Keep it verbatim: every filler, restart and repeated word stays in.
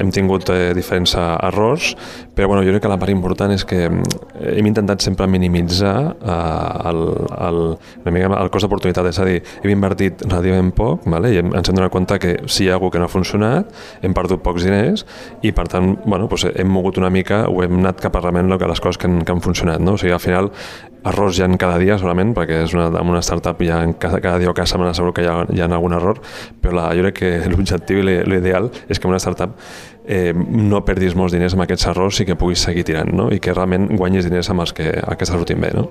Hem tingut eh, diferents errors, però bueno, jo crec que la part important és que hem intentat sempre minimitzar eh, el, el, una mica el cost d'oportunitat, és a dir, hem invertit relativament poc, vale? I ens hem donat compte que si hi ha alguna que no ha funcionat, hem perdut pocs diners i per tant bueno, doncs hem mogut una mica, ho hem anat cap a realment les coses que han, que han funcionat. No? O sigui, al final, errors hi ha cada dia segurament, perquè és una, en una startup hi ha, cada, cada dia o cada setmana segur que hi ha, hi ha algun error, però la, jo crec que l'objectiu i l'ideal és que una startup eh, no perdis molts diners amb aquests errors i que puguis seguir tirant, no? I que realment guanyis diners amb els que, el que està sortint bé. No?